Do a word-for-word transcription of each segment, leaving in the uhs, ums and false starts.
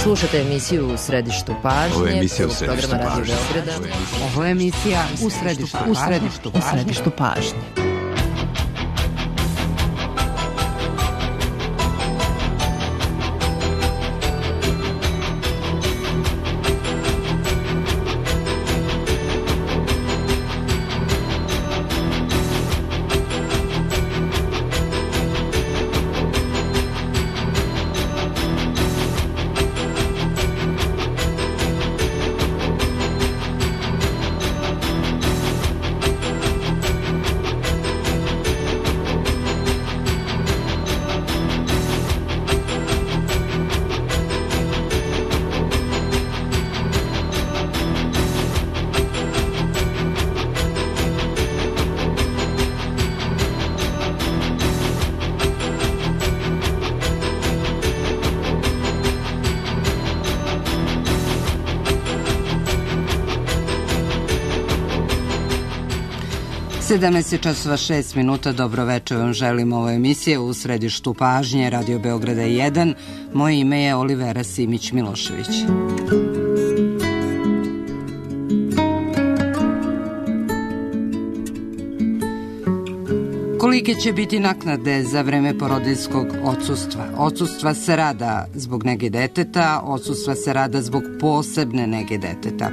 Slušate emisiju U središtu pažnje. Ovo je emisija U središtu pažnje. Ovo je emisija U središtu pažnje. U središtu, u središtu pažnje. sedamnaest časova šest minuta, dobro večer vam želim, ovo emisije U središtu pažnje, Radio Beograda jedan. Moje ime je Olivera Simić-Milošević. Kolike će biti naknade za vreme porodiljskog odsustva? Odsustva se rada zbog nege deteta, odsustva se rada zbog posebne nege deteta.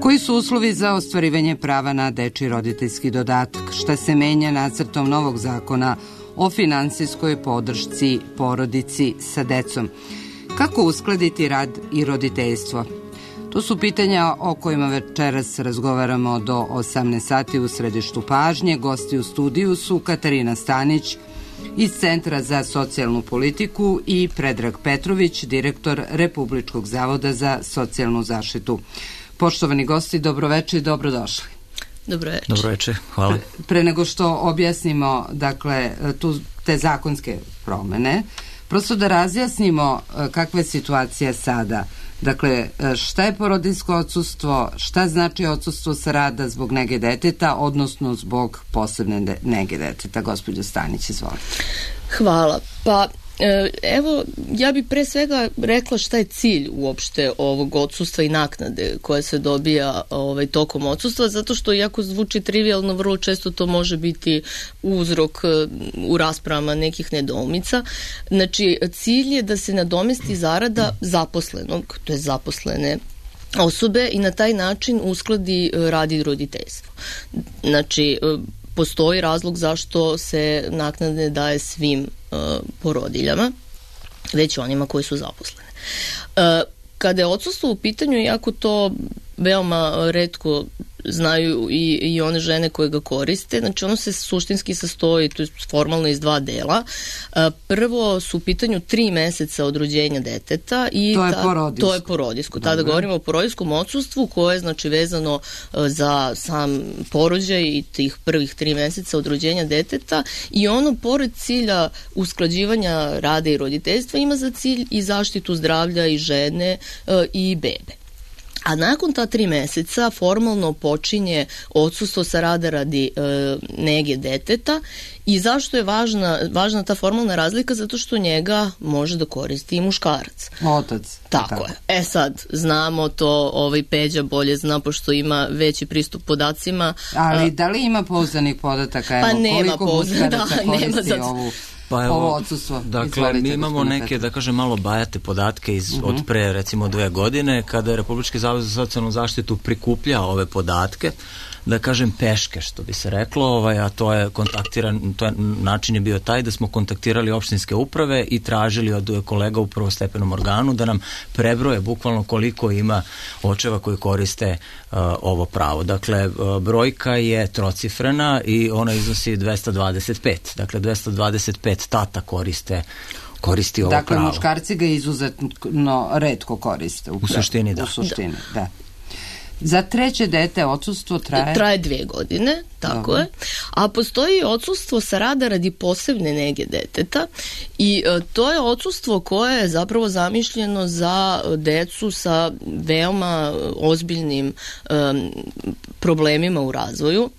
Koji su uslovi za ostvarivanje prava na dečiji roditeljski dodatak? Šta se menja nacrtom novog zakona o finansijskoj podršci porodici sa decom? Kako uskladiti rad i roditeljstvo? To su pitanja o kojima večeras razgovaramo do osamnaest sati u središtu pažnje. Gosti u studiju su Katarina Stanić iz Centra za socijalnu politiku i Predrag Petrović, direktor Republičkog zavoda za socijalnu zaštitu. Poštovani gosti, dobroveče i dobrodošli. Dobroveče. Dobroveče, hvala. Pre, pre nego što objasnimo, dakle, tu te zakonske promene, prosto da razjasnimo kakva je situacija sada. Dakle, šta je porodiljsko odsustvo, šta znači odsustvo sa rada zbog nege deteta, odnosno zbog posebne nege deteta. Gospođo Stanić, izvolite. Hvala. Pa, evo, ja bih pre svega rekla šta je cilj uopšte ovog odsustva i naknade koja se dobija ovaj, tokom odsustva, zato što iako zvuči trivijalno, vrlo često to može biti uzrok u raspravama nekih nedoumica. Znači, cilj je da se nadomesti zarada zaposlenog, to je zaposlene osobe, i na taj način uskladi rad i roditeljstvo. Znači, postoji razlog zašto se naknade daje svim uh, porodiljama, već onima koji su zaposlene. Uh, kada je odsustvo u pitanju, iako to veoma retko znaju i, i one žene koje ga koriste, znači ono se suštinski sastoji, to je formalno iz dva dela. Prvo su u pitanju tri meseca od rođenja deteta i to je ta, porodiljsko. To je porodiljsko. Tada govorimo o porodiljskom odsustvu koje je znači vezano za sam porođaj i tih prvih tri meseca od rođenja deteta, i ono pored cilja usklađivanja rada i roditeljstva ima za cilj i zaštitu zdravlja i žene i bebe. A nakon ta tri meseca formalno počinje odsustvo sa rada radi e, nege deteta. I zašto je važna, važna ta formalna razlika? Zato što njega može da koristi i muškarac. Otac. Tako, tako je. E sad, znamo to, ovaj Peđa bolje zna, pošto ima veći pristup podacima. Ali a, da li ima pouzdanih podataka? Evo, pa nema pouzdanih, da, nema za... ovu... Pa evo, ovo odsustvo. Dakle, Izvolite, mi imamo neke, Petra. da kažem, malo bajate podatke iz, uh-huh. od pre, recimo, dve godine, kada je Republički zavod za socijalnu zaštitu prikupljao ove podatke, da kažem peške, što bi se reklo, ovaj, a to je kontaktiran, to je, način je bio taj da smo kontaktirali opštinske uprave i tražili od kolega u prvostepenom organu da nam prebroje bukvalno koliko ima očeva koji koriste uh, ovo pravo. Dakle, uh, brojka je trocifrena i ona iznosi dvesta dvadeset pet. Dakle, dvesta dvadeset pet tata koriste koristi ovo dakle, pravo. Dakle, muškarci ga izuzetno retko koriste. Upravo. U suštini, da. U suštini, da. da. Za treće dete odsustvo traje? Traje dve godine, tako Dobro. je. A postoji odsustvo sa rada radi posebne nege deteta i e, to je odsustvo koje je zapravo zamišljeno za decu sa veoma ozbiljnim e, problemima u razvoju.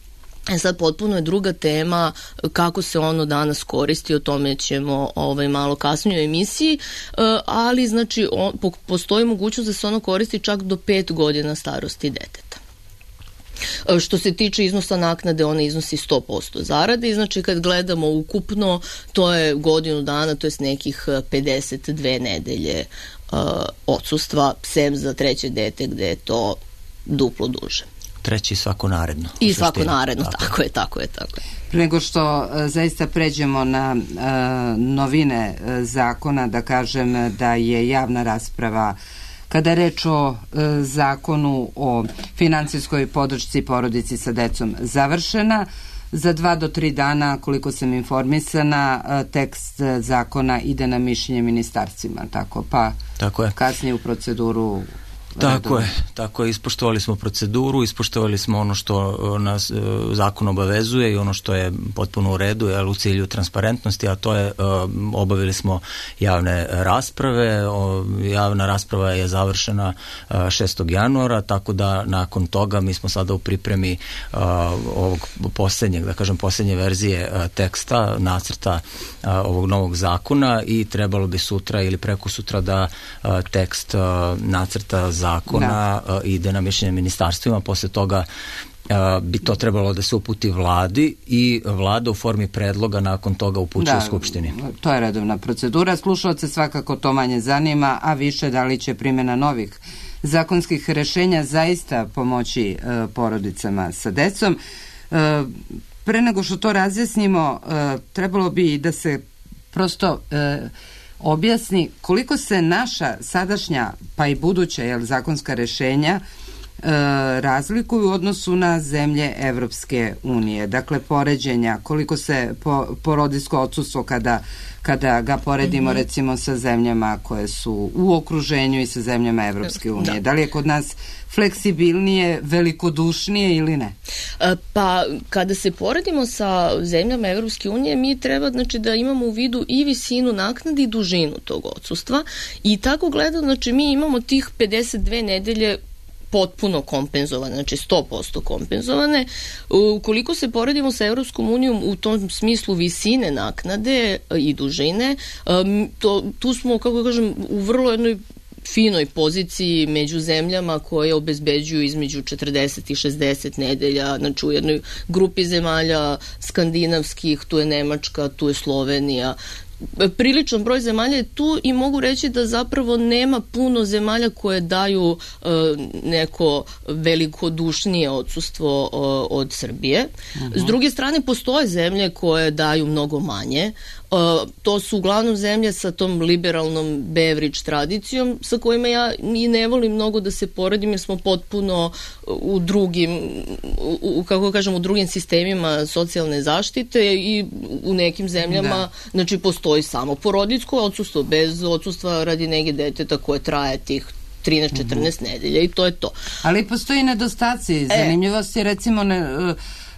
E sad potpuno je druga tema kako se ono danas koristi, o tome ćemo ovaj, malo kasnije u emisiji, ali znači on, postoji mogućnost da se ono koristi čak do pet godina starosti deteta. Što se tiče iznosa naknade, ona iznosi sto posto zarade i znači kad gledamo ukupno, to je godinu dana, to je nekih pedeset dve nedelje uh, odsustva, sem za treće dete gde je to duplo duže. Treći svako naredno. I svako naredno, tako, tako je, tako je, tako je. Pre nego što uh, zaista pređemo na uh, novine uh, zakona, da kažem da je javna rasprava kada je reč o e, zakonu o finansijskoj podršci porodici sa decom završena. Za dva do tri dana, koliko sam informisana, e, tekst zakona ide na mišljenje ministarstvima, tako pa tako je. Kasnije u proceduru. Tako je, tako je, ispoštovali smo proceduru, ispoštovali smo ono što nas e, zakon obavezuje i ono što je potpuno u redu, je u cilju transparentnosti, a to je e, obavili smo javne rasprave, o, javna rasprava je završena e, šestog januara, tako da nakon toga mi smo sada u pripremi e, ovog posljednjeg, da kažem posljednje verzije e, teksta, nacrta e, ovog novog zakona i trebalo bi sutra ili preko sutra da e, tekst e, nacrta zakona da. ide na mišljenje ministarstvima, posle toga bi to trebalo da se uputi vladi i vlada u formi predloga nakon toga upućuje da, Skupštini. To je redovna procedura. Slušalce svakako to manje zanima, a više da li će primjena novih zakonskih rešenja zaista pomoći e, porodicama sa decom. E, pre nego što to razjasnimo, e, trebalo bi da se prosto e, objasni koliko se naša sadašnja pa i buduća jel, zakonska rešenja e, razlikuju u odnosu na zemlje Evropske unije. Dakle, poređenja, koliko se po, porodiljsko odsustvo kada, kada ga poredimo mm-hmm. recimo sa zemljama koje su u okruženju i sa zemljama Evropske unije. Da. da li je kod nas fleksibilnije, velikodušnije ili ne? Pa kada se poredimo sa zemljama Evropske unije, mi treba znači, da imamo u vidu i visinu naknade i dužinu tog odsustva i tako gledano, znači mi imamo tih pedeset dve nedelje potpuno kompenzovane, znači sto posto kompenzovane. Ukoliko se poredimo sa Evropskom unijom u tom smislu visine naknade i dužine, to, tu smo, kako kažem, u vrlo jednoj finoj poziciji među zemljama koje obezbeđuju između četrdeset i šezdeset nedelja, znači u jednoj grupi zemalja skandinavskih, tu je Nemačka, tu je Slovenija, priličan broj zemalja je tu i mogu reći da zapravo nema puno zemalja koje daju e, neko velikodušnije odsustvo e, od Srbije. Uh-huh. S druge strane, postoje zemlje koje daju mnogo manje. Uh, to su uglavnom zemlje sa tom liberalnom beverage tradicijom sa kojima ja i ne volim mnogo da se poredim jer smo potpuno u drugim u, kako kažem, u drugim sistemima socijalne zaštite i u nekim zemljama da. Znači postoji samo porodiljsko odsustvo bez odsustva radi nege deteta koje traje tih trinaest četrnaest uh-huh. nedelja i to je to. Ali postoji nedostaci, zanimljivosti, recimo ne,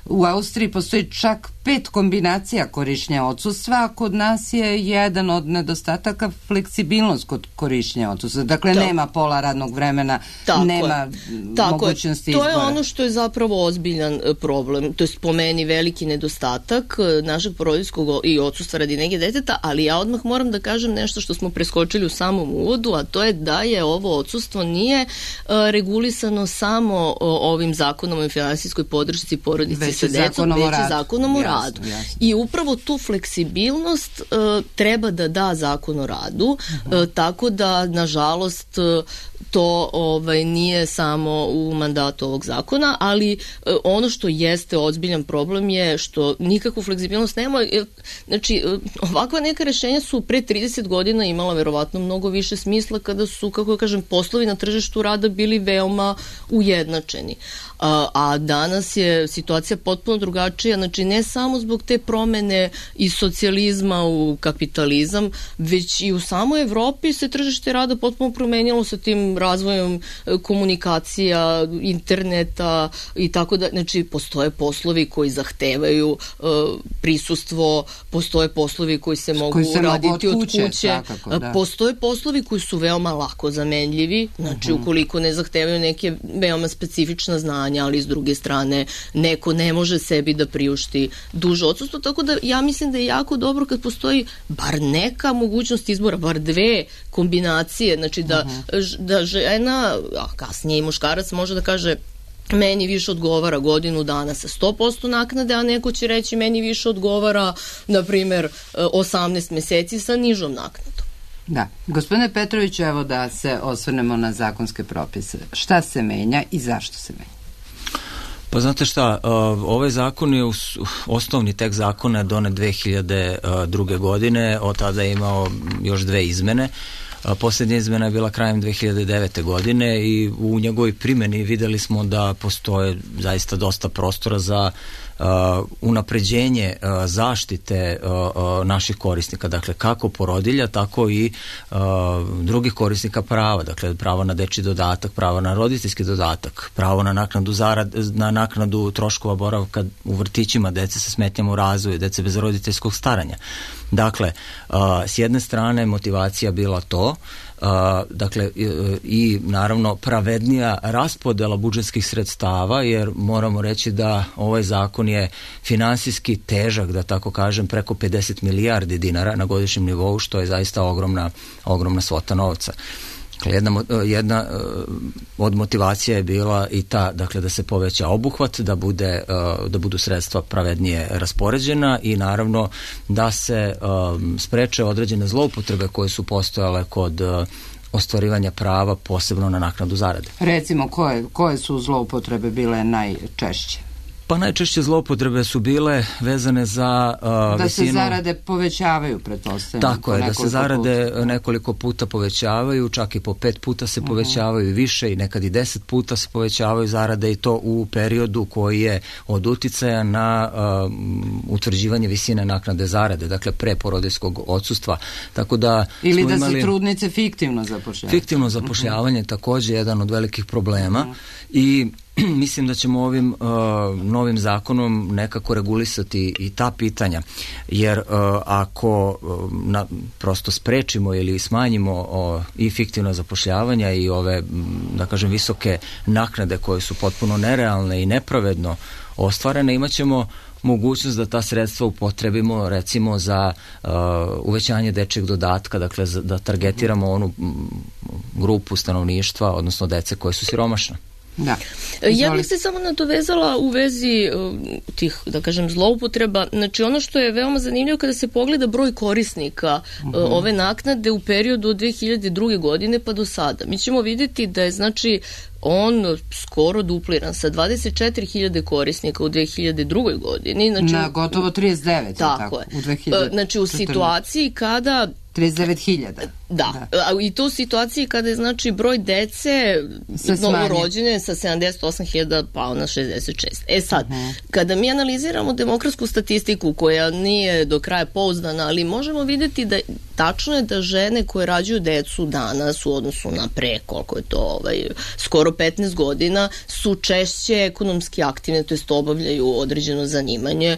u Austriji postoji čak pet kombinacija korišćenja odsustva, a kod nas je jedan od nedostataka fleksibilnost kod korišćenja odsustva. Dakle, tako. Nema pola radnog vremena, tako nema je. mogućnosti izbora. To je ono što je zapravo ozbiljan problem, to je po meni veliki nedostatak našeg porodiljskog i odsustva radi nege deteta, ali ja odmah moram da kažem nešto što smo preskočili u samom uvodu, a to je da je ovo odsustvo nije uh, regulisano samo uh, ovim zakonom o finansijskoj podršci porodici sa decom, već i zakonom o radu. Jasno, jasno. I upravo tu fleksibilnost uh, treba da da zakon o radu, uh-huh. uh, tako da, nažalost, uh, to ovaj, nije samo u mandatu ovog zakona, ali uh, ono što jeste ozbiljan problem je što nikakvu fleksibilnost nema. Znači, uh, ovakva neka rešenja su pre trideset godina imala verovatno mnogo više smisla kada su, kako kažem, poslovi na tržištu rada bili veoma ujednačeni. A, a danas je situacija potpuno drugačija, znači ne samo zbog te promene iz socijalizma u kapitalizam, već i u samoj Evropi se tržište rada potpuno promenilo sa tim razvojem komunikacija, interneta i tako da, znači postoje poslovi koji zahtevaju uh, prisustvo, postoje poslovi koji se mogu koji se raditi od kuće, od kuće. Svakako, da. Postoje poslovi koji su veoma lako zamenljivi, znači uh-huh. ukoliko ne zahtevaju neke veoma specifična znanja, ali s druge strane neko ne može sebi da priušti duže odsustvo, tako da ja mislim da je jako dobro kad postoji bar neka mogućnost izbora, bar dve kombinacije, znači da, uh-huh. da žena, a kasnije i muškarac može da kaže meni više odgovara godinu dana sa sto posto naknade, a neko će reći meni više odgovara, na primjer, osamnaest meseci sa nižom naknadom. Da. Gospodine Petroviću, evo da se osvrnemo na zakonske propise. Šta se menja i zašto se menja? Pa znate šta, ovaj zakon je osnovni tekst zakona je donet dve hiljade druge. godine, od tada je imao još dve izmene. Posljednja izmena je bila krajem dve hiljade devete. godine i u njegovoj primjeni videli smo da postoje zaista dosta prostora za uh, unapređenje uh, zaštite uh, uh, naših korisnika, dakle kako porodilja, tako i uh, drugih korisnika prava, dakle pravo na dečji dodatak, pravo na roditeljski dodatak, pravo na naknadu zarad, na naknadu troškova boravka u vrtićima dece sa smetnjama u razvoju, dece bez roditeljskog staranja. Dakle, uh, s jedne strane motivacija bila to, uh, dakle i, i naravno pravednija raspodela budžetskih sredstava, jer moramo reći da ovaj zakon je finansijski težak, da tako kažem, preko pedeset milijardi dinara na godišnjem nivou, što je zaista ogromna, ogromna svota novca. Jedna, jedna od motivacija je bila i ta, dakle, da se poveća obuhvat, da bude, da budu sredstva pravednije raspoređena i naravno da se um, spreče određene zloupotrebe koje su postojale kod uh, ostvarivanja prava, posebno na naknadu zarade. Recimo, koje, koje su zloupotrebe bile najčešće? Pa najčešće zloupotrebe su bile vezane za uh, da visinu... se zarade povećavaju, pretpostavljam. Tako je, da se zarade puta. nekoliko puta povećavaju, čak i po pet puta se uh-huh. povećavaju i više i nekad i deset puta se povećavaju zarade i to u periodu koji je od uticaja na uh, utvrđivanje visine naknade zarade, dakle pre porodiljskog odsustva. Tako da ili da imali... se trudnice fiktivno zapošljavaju. Fiktivno zapošljavanje uh-huh. također je jedan od velikih problema uh-huh. i mislim da ćemo ovim uh, novim zakonom nekako regulisati i ta pitanja, jer uh, ako uh, na, prosto sprečimo ili smanjimo uh, i fiktivno zapošljavanja i ove, da kažem, visoke naknade koje su potpuno nerealne i nepravedno ostvarene, imat ćemo mogućnost da ta sredstva upotrebimo recimo za uh, uvećanje dečjeg dodatka, dakle za, da targetiramo onu m, grupu stanovništva, odnosno dece koje su siromašne. Da. Ja bih se samo nadovezala u vezi uh, tih, da kažem, zloupotreba. Znači ono što je veoma zanimljivo kada se pogleda broj korisnika uh, uh-huh. ove naknade u periodu od dve hiljade druge. godine pa do sada. Mi ćemo vidjeti da je znači on skoro dupliran sa dvadeset četiri hiljade korisnika u dve hiljade druge. godini. Znači, na gotovo trideset devet. Tako, tako je. U dve hiljade četrnaeste. Znači u situaciji kada trideset devet hiljada. Da. da, i to u situaciji kada je znači broj dece novorođene sa sedamdeset osam hiljada pao na šezdeset šest. E sad, uh-huh. kada mi analiziramo demokratsku statistiku koja nije do kraja pouzdana, ali možemo vidjeti da tačno je da žene koje rađaju decu danas u odnosu na pre, koliko je to ovaj, skoro petnaest godina, su češće ekonomski aktivne, to jest obavljaju određeno zanimanje.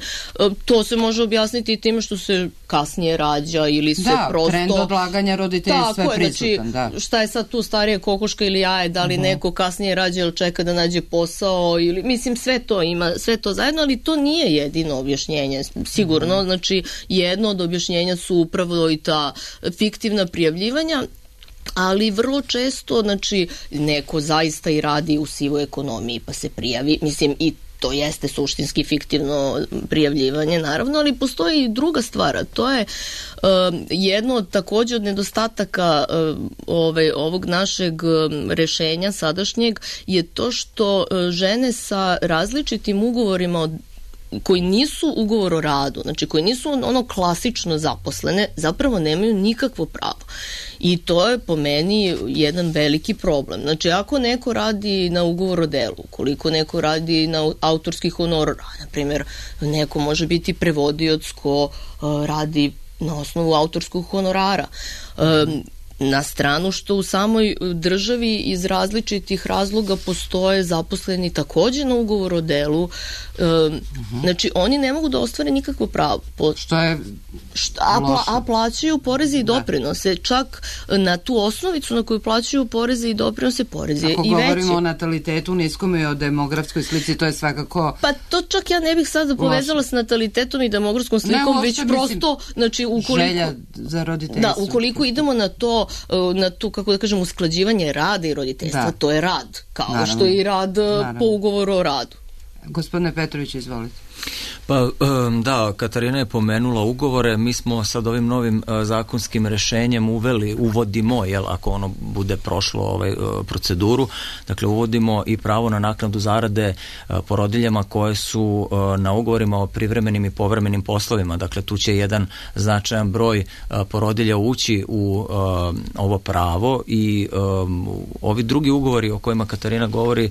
To se može objasniti time što se kasnije rađa ili se da, prosto... trend odlaganja roditeljstva je prisutan. Znači, da. Šta je sad tu starije, kokoška ili jaje, da li uh-huh. neko kasnije rađa ili čeka da nađe posao, ili, mislim, sve to ima, sve to zajedno, ali to nije jedino objašnjenje, sigurno, uh-huh. znači jedno od objašnjenja su upravo i ta fiktivna prijavljivanja, ali vrlo često, znači, neko zaista i radi u sivoj ekonomiji pa se prijavi, mislim, i to jeste suštinski fiktivno prijavljivanje, naravno, ali postoji i druga stvar, a to je uh, jedno od također od nedostataka uh, ove, ovog našeg um, rešenja sadašnjeg je to što uh, žene sa različitim ugovorima od koji nisu ugovor o radu, znači koji nisu ono klasično zaposlene, zapravo nemaju nikakvo pravo. I to je po meni jedan veliki problem. Znači, ako neko radi na ugovor o delu, koliko neko radi na autorski honorar, na primjer, neko može biti prevodioc ko uh, radi na osnovu autorskog honorara. Um, Na stranu što u samoj državi iz različitih razloga postoje zaposleni takođe na ugovor o delu. E, uh-huh. Znači, oni ne mogu da ostvare nikakvo pravo. Po, što je šta, a, pla, a plaćaju poreze i doprinose. Da. Čak na tu osnovicu na koju plaćaju poreze i doprinose, poreze Ako i veće. Ako govorimo o natalitetu niskom i o demografskoj slici, to je svakako... Pa to čak ja ne bih sada povezala s natalitetom i demografskom slikom, ne, već prosto, znači, ukoliko... Želja za roditeljstvo. Da, ukoliko idemo na to, na tu, kako da kažem, usklađivanje rada i roditeljstva, da. To je rad, kao Naravno. Što je i rad Naravno. Po ugovoru o radu. Gospodine Petrović, izvolite. Pa da, Katarina je pomenula ugovore, mi smo sad ovim novim zakonskim rešenjem uveli, uvodimo, jel, ako ono bude prošlo ovaj proceduru, dakle uvodimo i pravo na naknadu zarade porodiljama koje su na ugovorima o privremenim i povremenim poslovima, dakle tu će jedan značajan broj porodilja ući u ovo pravo i ovi drugi ugovori o kojima Katarina govori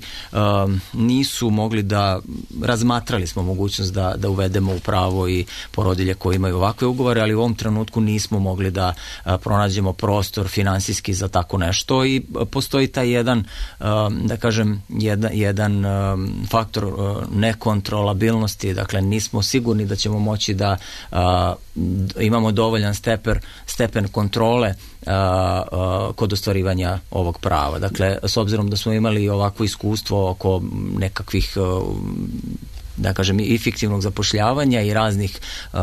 nisu mogli da, razmatrali smo mogućnost da da uvedemo u pravo i porodilje koji imaju ovakve ugovore, ali u ovom trenutku nismo mogli da a, pronađemo prostor finansijski za tako nešto i a, postoji taj jedan, a, da kažem, jedan, jedan a, faktor a, nekontrolabilnosti, dakle nismo sigurni da ćemo moći da a, imamo dovoljan stepen, stepen kontrole a, a, kod ostvarivanja ovog prava. Dakle, s obzirom da smo imali ovakvo iskustvo oko nekakvih a, da kažem i fiktivnog zapošljavanja i raznih uh,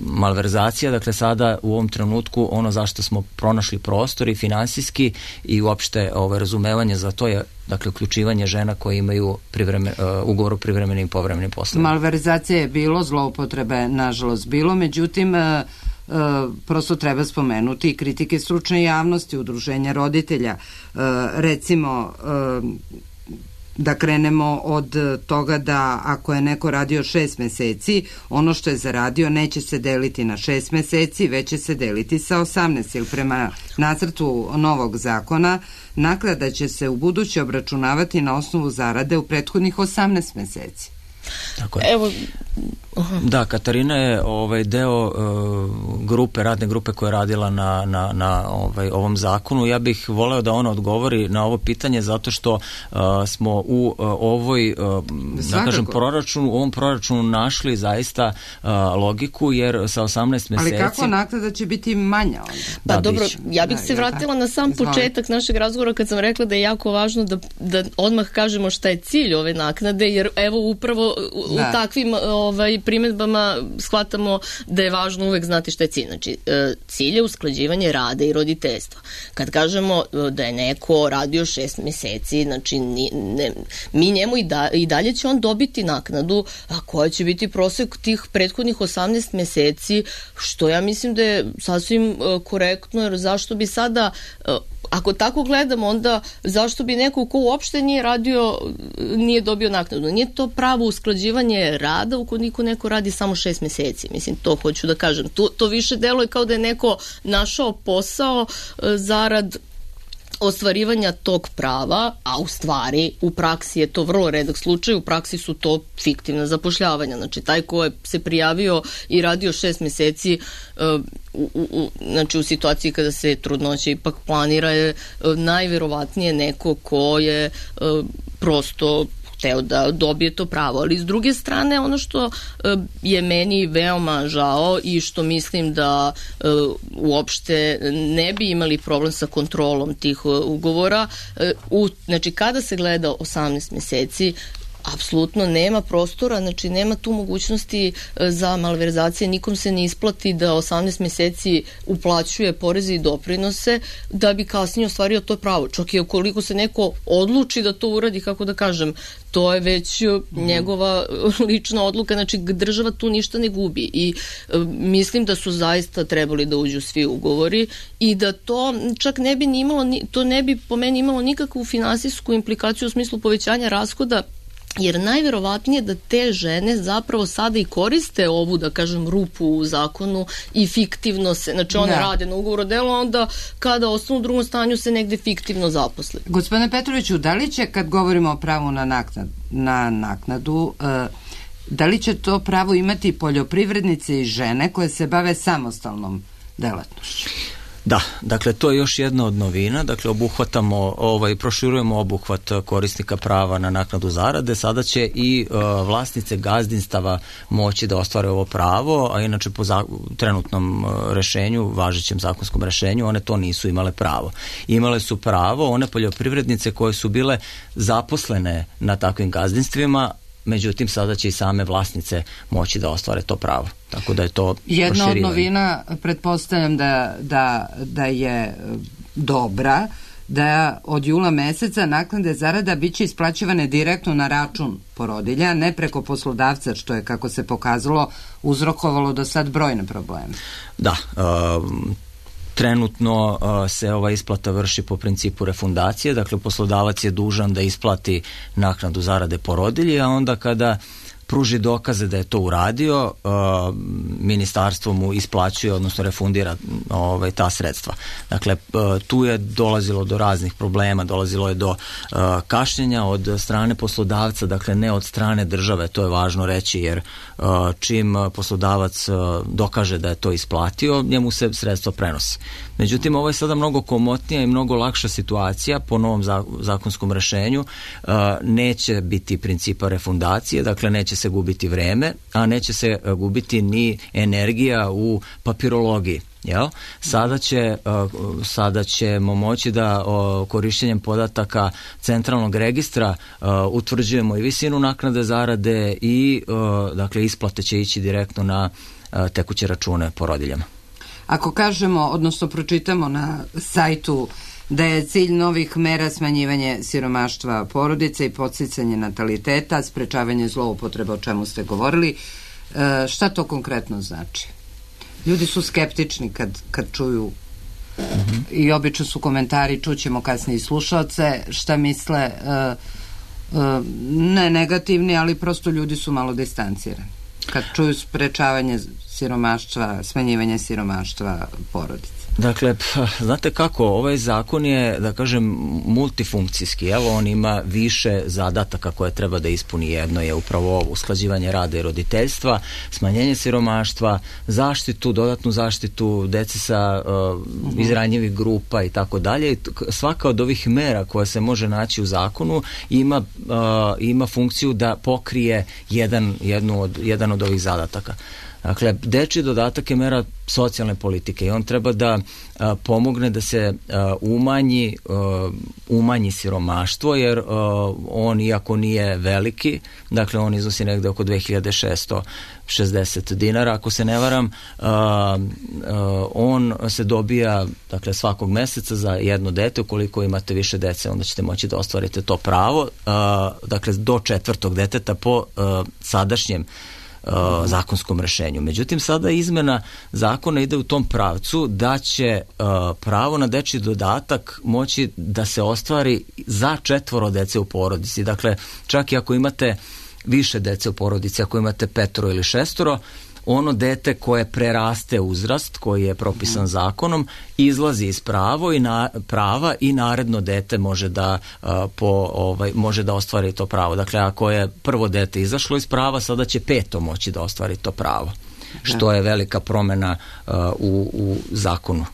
malverzacija, dakle sada u ovom trenutku ono zašto smo pronašli prostor i finansijski i uopšte ovo razumevanje za to je dakle uključivanje žena koje imaju privremen, uh, ugovor o privremenim i povremenim poslovima. Malverzacije je bilo, zloupotrebe nažalost bilo, međutim uh, uh, prosto treba spomenuti i kritike stručne javnosti, udruženja roditelja, uh, recimo uh, da krenemo od toga da ako je neko radio šest meseci, ono što je zaradio neće se deliti na šest meseci, već će se deliti sa osamnaest, jer prema nacrtu novog zakona naknada će se u buduće obračunavati na osnovu zarade u prethodnih osamnaest meseci. Tako je. Evo, da, Katarina je ovaj deo uh, grupe, radne grupe koja je radila na, na, na ovaj, ovom zakonu. Ja bih voleo da ona odgovori na ovo pitanje zato što uh, smo u uh, ovoj uh, da kažem proračunu, u ovom proračunu našli zaista uh, logiku, jer sa osamnaest meseci... Ali kako naknada će biti manja onda? Pa da, dobro, biće. ja bih da, se vratila ja, na sam Izvoli. početak našeg razgovora kad sam rekla da je jako važno da, da odmah kažemo šta je cilj ove naknade, jer evo upravo u, da. u takvim ovaj, primedbama shvatamo da je važno uvek znati šta je cilj. Znači, cilj je usklađivanje rada i roditeljstva. Kad kažemo da je neko radio šest meseci, znači ni, ne, mi njemu i, da, i dalje će on dobiti naknadu, a koja će biti prosek tih prethodnih osamnaest meseci, što ja mislim da je sasvim korektno, jer zašto bi sada... Ako tako gledamo, onda zašto bi neko ko uopšte nije radio, nije dobio naknadu? Nije to pravo usklađivanje rada ukoliko neko radi samo šest meseci. Mislim, to hoću da kažem. To, to više deluje kao da je neko našao posao zarad ostvarivanja tog prava, a u stvari u praksi je to vrlo redak slučaj, u praksi su to fiktivna zapošljavanja. Znači, taj ko je se prijavio i radio šest meseci uh, u, u, znači u situaciji kada se trudnoća ipak planira je uh, najverovatnije neko ko je uh, prosto hteo da dobije to pravo, ali s druge strane ono što uh, je meni veoma žao i što mislim da uh, uopšte ne bi imali problem sa kontrolom tih uh, ugovora, uh, u, znači kada se gleda osamnaest meseci, apsolutno nema prostora, znači nema tu mogućnosti za malverzacije, nikom se ne isplati da osamnaest meseci uplaćuje poreze i doprinose da bi kasnije ostvario to pravo. Čak i ukoliko se neko odluči da to uradi, kako da kažem, to je već mm. njegova lična odluka, znači država tu ništa ne gubi i e, mislim da su zaista trebali da uđu svi ugovori i da to čak ne bi imalo, to ne bi po meni imalo nikakvu finansijsku implikaciju u smislu povećanja rashoda, jer najverovatnije da te žene zapravo sada i koriste ovu, da kažem, rupu u zakonu i fiktivno se, znači one da. rade na ugovor o delu, onda kada ostanu u drugom stanju se negde fiktivno zaposle. Gospodine Petroviću, da li će, kad govorimo o pravu na, naknad, na naknadu, uh, da li će to pravo imati poljoprivrednice i žene koje se bave samostalnom delatnošću? Da, dakle to je još jedna od novina, dakle obuhvatamo, ovaj, proširujemo obuhvat korisnika prava na naknadu zarade, sada će i uh, vlasnice gazdinstava moći da ostvare ovo pravo, a inače po za, trenutnom uh, rešenju, važećem zakonskom rešenju, one to nisu imale pravo. Imale su pravo one poljoprivrednice koje su bile zaposlene na takvim gazdinstvima, međutim sada će i same vlasnice moći da ostvare to pravo. Tako da je to jedna od novina, pretpostavljam da, da, da je dobra, da od jula meseca naknade zarada biće isplaćivane direktno na račun porodilja, ne preko poslodavca, što je, kako se pokazalo, uzrokovalo do sad brojne probleme. Da, um, trenutno uh, se ova isplata vrši po principu refundacije, dakle poslodavac je dužan da isplati naknadu zarade porodilji, a onda kada pruži dokaze da je to uradio, uh, ministarstvo mu isplaćuje, odnosno refundira ovaj, ta sredstva. Dakle, uh, tu je dolazilo do raznih problema, dolazilo je do uh, kašnjenja od strane poslodavca, dakle ne od strane države, to je važno reći, jer uh, čim poslodavac uh, dokaže da je to isplatio, njemu se sredstva prenosi. Međutim, ovo je sada mnogo komotnija i mnogo lakša situacija po novom zakonskom rešenju. Uh, neće biti principa refundacije, dakle neće se gubiti vreme, a neće se gubiti ni energija u papirologiji. Jel? Sada, će, uh, sada ćemo moći da uh, korišćenjem podataka centralnog registra uh, utvrđujemo i visinu naknade zarade i uh, dakle isplate će ići direktno na uh, tekuće račune porodiljama. Ako kažemo, odnosno pročitamo na sajtu da je cilj novih mera smanjivanje siromaštva porodice i podsticanje nataliteta, sprečavanje zloupotreba, o čemu ste govorili, šta to konkretno znači? Ljudi su skeptični kad, kad čuju mm-hmm. i obično su komentari, čućemo kasnije i slušalce, šta misle, ne negativni, ali prosto ljudi su malo distancirani kad čuju sprečavanje siromaštva, smanjivanje siromaštva porodice. Dakle, znate kako, ovaj zakon je, da kažem, multifunkcijski. Evo, on ima više zadataka koje treba da ispuni. Jedno je upravo usklađivanje rada i roditeljstva, smanjenje siromaštva, zaštitu, dodatnu zaštitu dece sa uh, iz ranjivih grupa i tako dalje. Svaka od ovih mera koja se može naći u zakonu ima, uh, ima funkciju da pokrije jedan, jednu od, jedan od ovih zadataka. Dakle, dečji dodatak je mera socijalne politike i on treba da a, pomogne da se a, umanji, a, umanji siromaštvo, jer a, on, iako nije veliki, dakle on iznosi negde oko dve hiljade šesto šezdeset dinara, ako se ne varam, a, a, on se dobija, dakle, svakog meseca za jedno dete. Ukoliko imate više dece, onda ćete moći da ostvarite to pravo, a, dakle do četvrtog deteta po a, sadašnjem Uh, zakonskom rešenju. Međutim, sada izmena zakona ide u tom pravcu da će uh, pravo na dečji dodatak moći da se ostvari za četvoro dece u porodici. Dakle, čak i ako imate više dece u porodici, ako imate petoro ili šestoro, ono dete koje preraste uzrast koji je propisan zakonom izlazi iz pravo i na, prava i naredno dete može da uh, po ovaj može da ostvari to pravo. Dakle, ako je prvo dete izašlo iz prava, sada će peto moći da ostvari to pravo. Što je velika promena uh, u, u zakonu.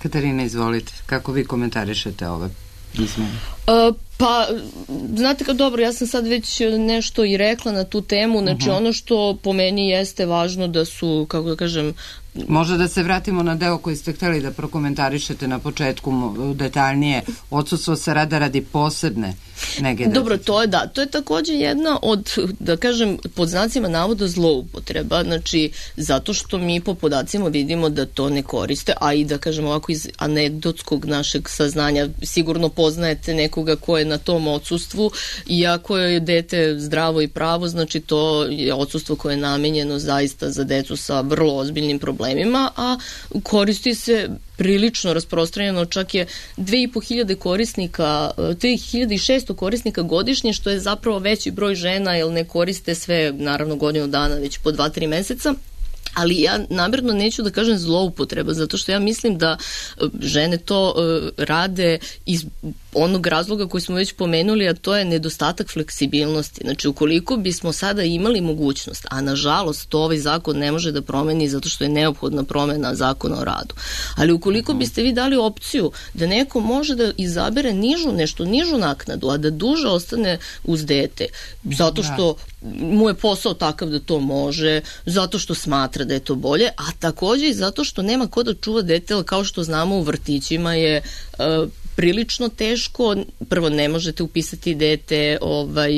Katarina, izvolite. Kako vi komentarišete ove izmene? Uh, pa, znate kao, dobro, ja sam sad već nešto i rekla na tu temu, znači uh-huh. ono što po meni jeste važno da su, kako da kažem... Možda da se vratimo na deo koji ste hteli da prokomentarišete na početku detaljnije, odsustvo se rada radi posebne nege deteta. Dobro, to je da, to je takođe jedna od, da kažem, pod znacima navoda zloupotreba, znači zato što mi po podacima vidimo da to ne koriste, a i da kažem ovako iz anegdotskog našeg saznanja, sigurno poznajete nekoga ko je na tom odsustvu, iako je dete zdravo i pravo, znači to je odsustvo koje je namenjeno zaista za decu sa vrlo ozbiljnim problemima, a koristi se prilično rasprostranjeno, čak je dve i po hiljade korisnika, dve hiljade šesto korisnika godišnje, što je zapravo veći broj žena, jer ne koriste sve, naravno, godinu dana, već po dva, tri meseca. Ali ja namjerno neću da kažem zloupotreba, zato što ja mislim da žene to uh, rade iz onog razloga koji smo već pomenuli, a to je nedostatak fleksibilnosti. Znači, ukoliko bismo sada imali mogućnost, a nažalost to ovaj zakon ne može da promeni zato što je neophodna promena zakona o radu, ali ukoliko biste vi dali opciju da neko može da izabere nižu, nešto nižu naknadu, a da duže ostane uz dete, zato što mu je posao takav da to može, zato što smatra da je to bolje, a takođe i zato što nema ko da čuva dete, ali kao što znamo u vrtićima je uh, prilično teško. Prvo, ne možete upisati dete ovaj,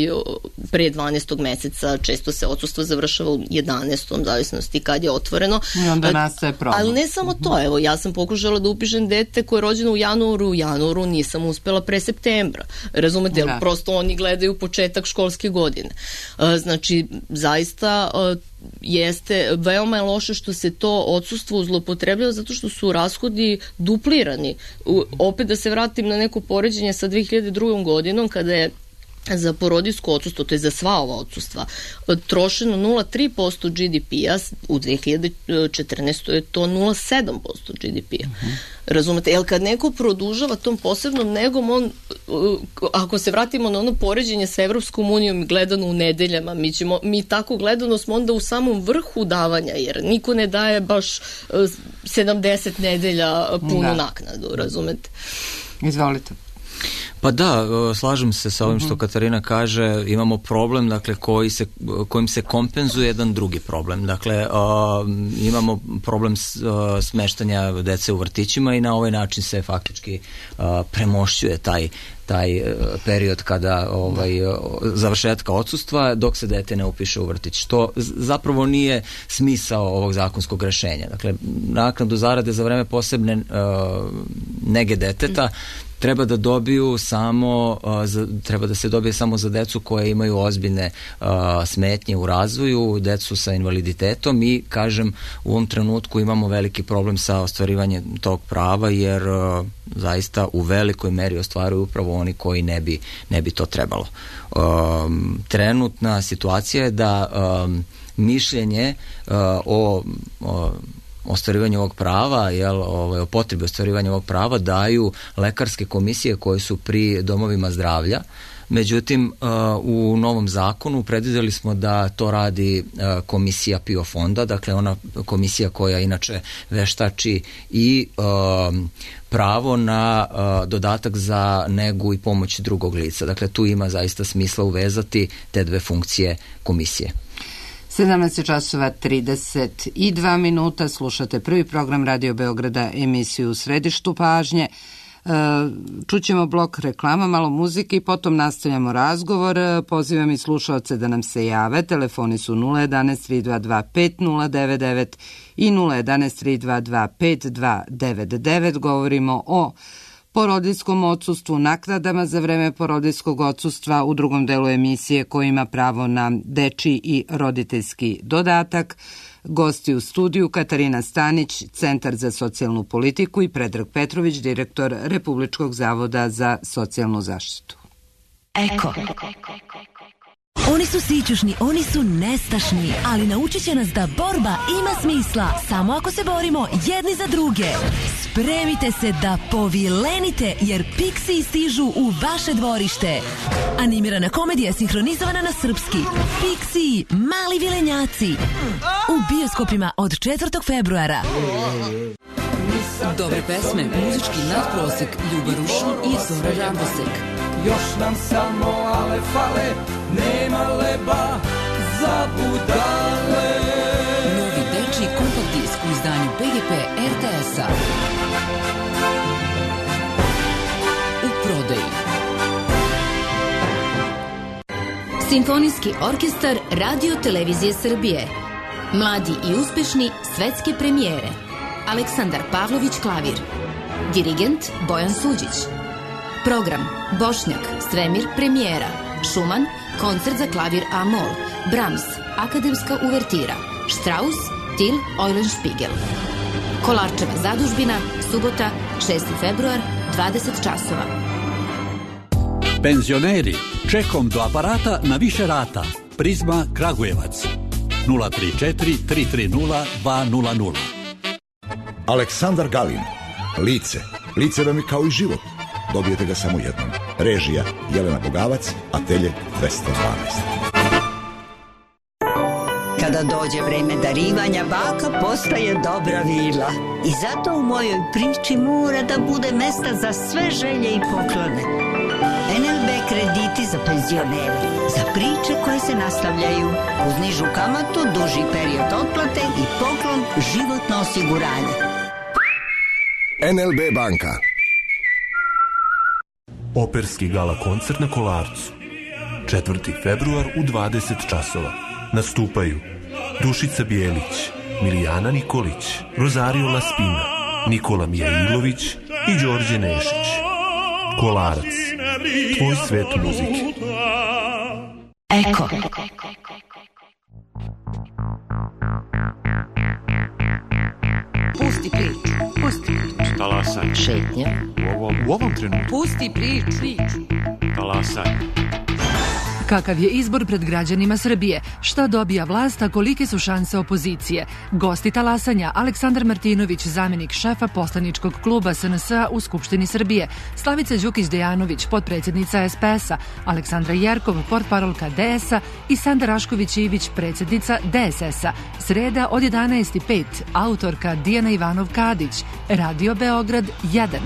pre dvanaestog meseca, često se odsustvo završava u jedanaestom, zavisnosti kad je otvoreno. I onda nastaje problem. Ali ne samo to, evo, ja sam pokušala da upišem dete koje je rođeno u januaru, u januaru nisam uspela pre septembra. Razumete, jer prosto oni gledaju početak školske godine. Znači, zaista jeste, veoma je loše što se to odsustvo zloupotrebljava zato što su rashodi duplirani. U, opet da se vratim na neko poređenje sa dve hiljade druge. godinom kada je za porodiljsko odsustvo, to je za sva ova odsustva, trošeno nula zarez tri posto G D P-a, u dve hiljade četrnaestoj je to nula zarez sedam posto G D P-a. Uh-huh. Razumete, jer kad neko produžava tom posebnom negom, on, ako se vratimo na ono poređenje sa Evropskom unijom gledano u nedeljama, mi, ćemo, mi tako gledano smo onda u samom vrhu davanja, jer niko ne daje baš sedamdeset nedelja punu da. naknadu, razumete? Izvolite. Pa da, slažem se sa ovim što Katarina kaže, imamo problem, dakle, koji se, kojim se kompenzuje jedan drugi problem. Dakle, uh, imamo problem uh, smeštanja dece u vrtićima i na ovaj način se faktički uh, premošćuje taj taj period kada ovaj, završetka odsustva dok se dete ne upiše u vrtić, što zapravo nije smisao ovog zakonskog rešenja. Dakle, naknadu zarade za vreme posebne uh, nege deteta treba da dobiju samo, uh, za, treba da se dobije samo za decu koje imaju ozbiljne uh, smetnje u razvoju, decu sa invaliditetom i, kažem, u ovom trenutku imamo veliki problem sa ostvarivanjem tog prava, jer uh, zaista u velikoj meri ostvaruju upravo oni koji ne bi, ne bi to trebalo. Um, trenutna situacija je da um, mišljenje uh, o, o ostvarivanju ovog prava, jel, ovaj, o potrebi ostvarivanja ovog prava daju lekarske komisije koje su pri domovima zdravlja. Međutim, uh, u novom zakonu predvideli smo da to radi uh, komisija P I O fonda, dakle ona komisija koja inače veštači i uh, pravo na uh, dodatak za negu i pomoć drugog lica. Dakle, tu ima zaista smisla uvezati te dve funkcije komisije. sedamnaest časova trideset dva minuta, slušate prvi program Radio Beograda, emisiju U središtu pažnje. Čućemo blok reklama, malo muzike i potom nastavljamo razgovor. Pozivam i slušaoce da nam se jave. Telefoni su nula jedanaest tri dva dva pet nula devet devet i nula jedanaest tri dva dva pet dva devet devet. Govorimo o porodiljskom odsustvu, naknadama za vreme porodiljskog odsustva, u drugom delu emisije ko ima pravo na dečiji i roditeljski dodatak. Gosti u studiju Katarina Stanić, Centar za socijalnu politiku, i Predrag Petrović, direktor Republičkog zavoda za socijalnu zaštitu. Eko. Oni su sićušni, oni su nestašni, ali naučit će nas da borba ima smisla samo ako se borimo jedni za druge. Spremite se da povilenite, jer Pixiji stižu u vaše dvorište. Animirana komedija sinhronizovana na srpski. Pixiji, mali vilenjaci. U bioskopima od četvrtog februara. Dobre pesme, muzički nadprosek, Ljuba Rušin i Zora Radosek. Još nam samo ale fale, nema leba za budale. Novi dečiji kompakt disk u izdanju P G P R T S-a. U prodaji. Simfonijski orkestar Radio Televizije Srbije. Mladi i uspešni svetske premijere. Aleksandar Pavlović klavir. Dirigent Bojan Suđić. Program Bošnjak, Svemir premijera. Šuman, koncert za klavir A-mol. Brahms, akademska uvertira. Strauss, Till Eulenspiegel. Kolarčeva zadužbina, subota, šesti februar, dvadeset časova. Penzioneri, čekom do aparata na više rata. Prizma Kragujevac. nula tri četiri tri tri nula dva nula nula. Aleksandar Galin. Lice. Lice vam je kao i život. Dobijete ga samo jednom. Režija Jelena Bogavac, atelje dvesta dvanaest. Kada dođe vreme darivanja, baka postaje dobra vila. I zato u mojoj priči mora da bude mesta za sve želje i poklone. en el be krediti za penzionere, za priče koje se nastavljaju, uz nižu kamatu, duži period otplate i poklon životno osiguranje. en el be banka. Operski gala koncert na Kolarcu. četvrti februar u dvadeset časova. Nastupaju Dušica Bijelić, Milijana Nikolić, Rosario Laspina, Nikola Mijailović i Đorđe Nešić. Kolarac. Tvoj svet muzike. Eko. Pusti priču. Pusti priču. Talasaj. Šetnja. U ovom, u ovom trenutku. Pusti priču. Talasaj. Kakav je izbor pred građanima Srbije? Šta dobija vlast, a kolike su šanse opozicije? Gosti talasanja: Aleksandar Martinović, zamenik šefa poslaničkog kluba es en es a u Skupštini Srbije, Slavica Đukić-Dejanović, potpredsjednica es pe es a, Aleksandra Jerkov, portparolka de es a i Sanda Rašković-Ivić, predsjednica de es es a. Sreda od jedanaest i pet, autorka Dijana Ivanov-Kadić, Radio Beograd jedan.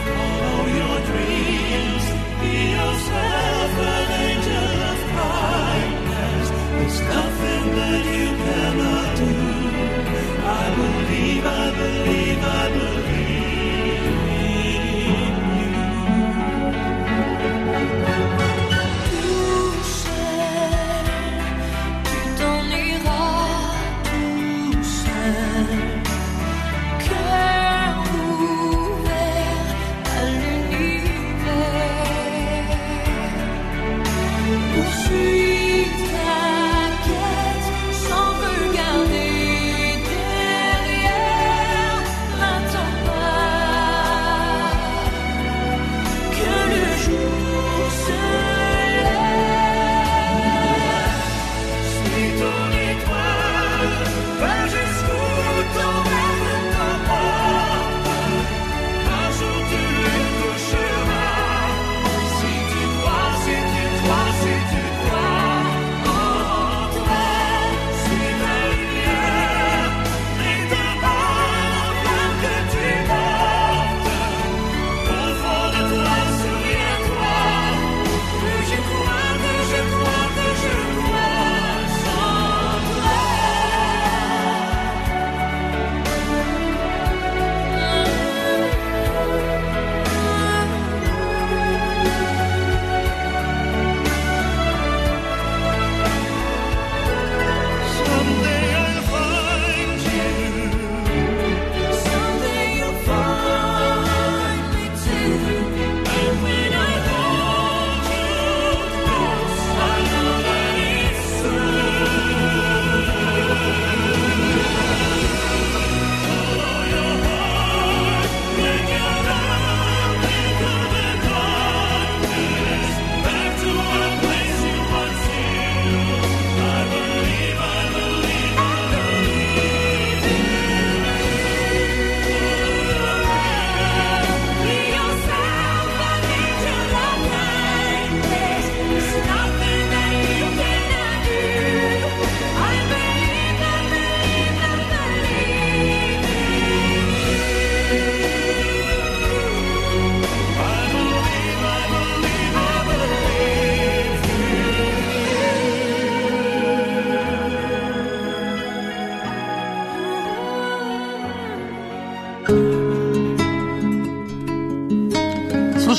Follow your dreams, be yourself, an angel of